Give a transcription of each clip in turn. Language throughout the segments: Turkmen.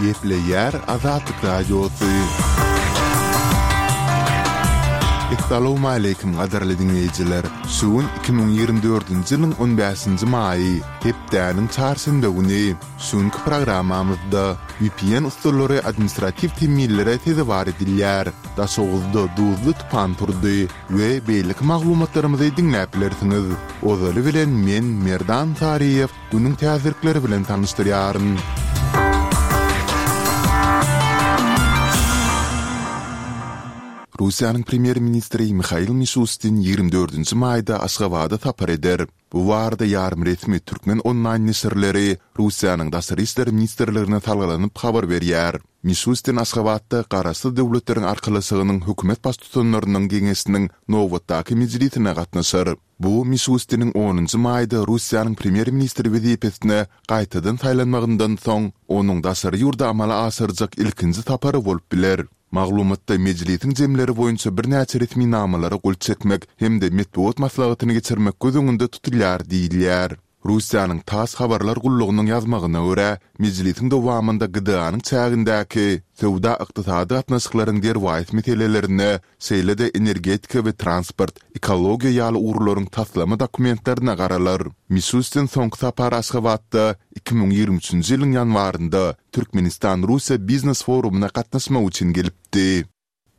Gepleýär Azatlyk Radiosy. Essalawmaleýkim gadyrly diňleýjiler! Şu gün 2024-nji ýylyň on bäşinji maýy, hepdäniň çarşenbe güni. Şu günki programmamyzda VPN ussalary administratiw temmilere sezewar edilýär, Daşoguzda duzly tupan turdy we beýleki maglumatlarymyzy diňläp bilersiňiz. Ozaly bilen men Merdan Saryýew günüň täzelikleri bilen tanyşdyrýaryn. Russiýanyň premýer-ministri Mihail Mişustin 24-nji maýda Aşgabada sapar eder. Bu barada ýarym resmi türkmen onlaýn neşirleri Russiýanyň Daşary işler ministrligine salgylanyp habar berýär. Mişustin Aşgabatda Garaşsyz Döwletleriň Arkalaşygynyň Hökümet Baştutanlarynyň Geňeşiniň nobatdaky mejlisine gatnaşar. Bu Mişustiniň onunjy maýda Russiýanyň premýer-ministri wezipesine gaýtadan saýlanmagyndan soň, onuň daşary ýurda amala aşyrjak ilkinji sapary bolup biler. Maglumatda mejlisiň jemleri boýunça birnäçe resminamalara gol çekmek hem-de metbugat maslahatyny geçirmek göz öňünde tutulýar diýilýär. Russiýanyň tass habarlar gullugynyň ýazmagyna görä, mejlisiň dowamynda GDA-nyň çägindäki söwda-ykdysady gatnaşyklaryň derwaýys meselelerine, şeýle-de energetika we transport, ekologiýa ýaly ugurlaryň taslama dokumentlerine garalar. Mişustin soňky sapar Aşgabatda 2023-nji ýylyň ýanwarynda Türkmenistan-Russiýa biznes forumyna gatnaşmak üçin gelipdi.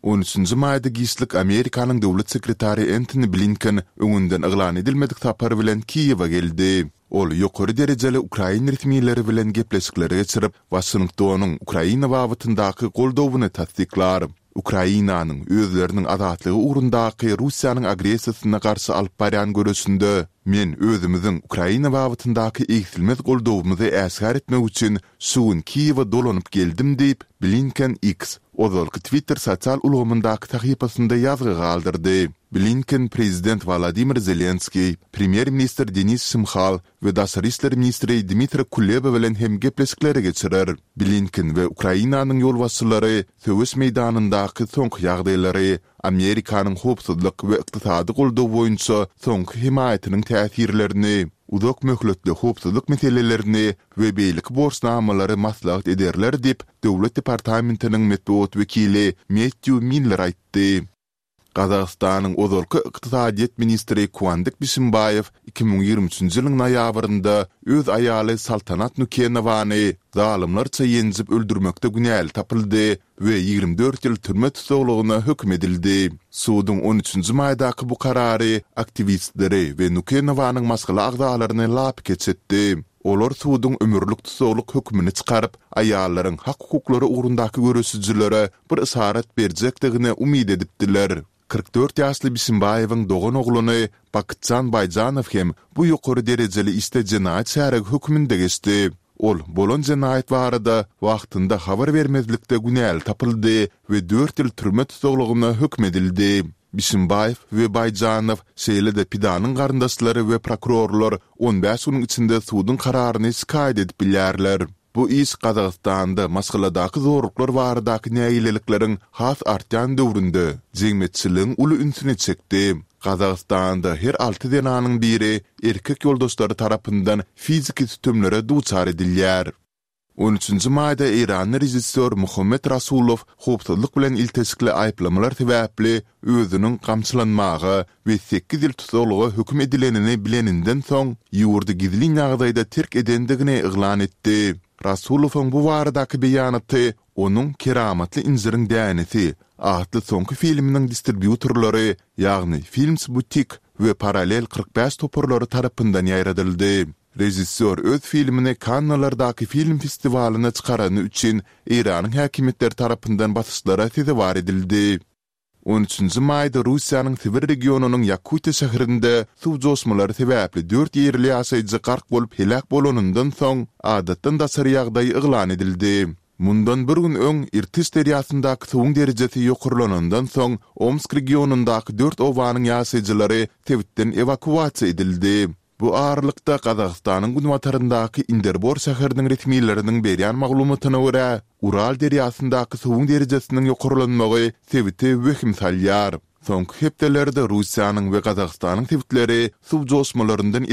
On üçünji maýda giçlik Amerikanyň döwlet sekretary Entoni Blinken öňünden yglan edilmedik sapar bilen Kiýewe geldi. Ol ýokary derejeli ukrain resmileri bilen gepleşikleri geçirip, Waşingtonyň Ukraina babatyndaky goldawyny tassyklar. Ukrainanyň özleriniň azatlygy ugrundaky Russiýanyň agressiýasyna garşy alyp barýan göreşinde men özümiziň Ukraina babatyndaky egsilmez goldawymyzy äşgär etmek üçin şu gün Kiýewe dolanyp geldim diýip, Blinken X, ozalky Twitter sosial ulgamyndaky sahypasynda ýazgy galdyrdy. Blinken prezident Wolodymyr Zelenskiý, premýer-ministr Denis Şmyhal we daşary işler ministri Dmitra Kuleba bilen hem gepleşikleri geçirer. Blinken we Ukrainanyň ýolbaşçylary söweş meýdanyndaky soňky ýagdaýlary, Amerikanyň howpsuzlyk we ykdysady goldaw boýunça soňky hemaýatynyň täsirlerini, uzak möhletli howpsuzlyk meselelerini we beýleki borçnamalary maslahat ederler diýip, Döwlet departamentiniň metbugat wekili Mettýu Miller aýtdy. Gazagystanyň ozalky ykdysadyýet ministri Kuandyk Bişimbaýew 2023-nji ýylyň noýabrynda öz aýaly Saltanat Nukenowany zalymlarça ýenjip öldürmekde günäli tapyldy we 24 ýyl türme tussaglygyna höküm edildi. Suduň on üçünji maýdaky bu karary aktiwistleri we Nukenowanyň maşgala agzalaryny lapykeç etdi. Olar suduň ömürlik tussaglyk hökümini çykaryp, aýallaryň hak-hukuklary ugrundaky göreşijilere bir yşarat berjekdigine umyt edipdiler. 44 ýaşly Bişimbaýewiň doganoglany Bakytjan Baýjanow hem bu ýokary derejeli işde jenaýat şärigi hökmünde geçdi. Ol bolan jenaýat barada wagtynda habar bermezlikde günäli tapyldy we dört ýyl türme tussaglygyna höküm edildi. Bişimbaýew we Baýjanow, şeýle-de pidanyň garyndaşlary we prokurorlar on bäş günüň içinde suduň kararyny şikaýat edip bilýärler. Bu iş Gazagystanda maşgaladaky zorluklar baradaky nägilelikleriň has artýan döwründe jemgyýetçiligiň uly ünsüni çekdi. Gazagystanda her alty zenanyň biri erkek ýoldaşlary tarapyndan fiziki sütemlere duçar edilýär. On üçünji maýda eýranly režissýor Muhammet Rasulow howpsuzlyk bilen ilteşikli aýyplamalar sebäpli özüniň gamçylanmaga we sekiz ýyl tussaglyga höküm edilenini bileninden soň, ýurdy gizlin ýagdaýda terk edendigini yglan etdi. Rasulowyň bu baradaky beýanaty onuň Keramatly injiriň dänesi atly soňky filminiň distribýutorlary, ýagny Films Boutique we Parallel 45 toparlary tarapyndan ýaýradyldy. Režissýor öz filmini Kannalardaky film festiwalyna çykarany üçin Eýranyň häkimiýetleri tarapyndan basyşlara sezewar edildi. On üçünji maýda Russiýanyň Sibir regionynyň Ýakutiýa şäherinde suw joşmalary sebäpli dört ýerli ýaşaýjy gark bolup heläk bolanyndan soň, adatdan daşary ýagdaý yglan edildi. Mundan bir gün öň Irtyş derýasyndaky suwuň derejesi ýokarlanandan soň, Omsk regionyndaky dört obanyň ýaşaýjylary sebitden ewakuasiýa edildi. Bu aralykda, Gazagystanyň günbataryndaky Inderbor şäheriniň resmileriniň berýän maglumatyna görä, Ural derýasyndaky suwuň derejesiniň ýokarlanmagy sebite wehim salýar. Soňky hepdelerde Russiýanyň we Gazagystanyň sebitleri suw joşmalaryndan.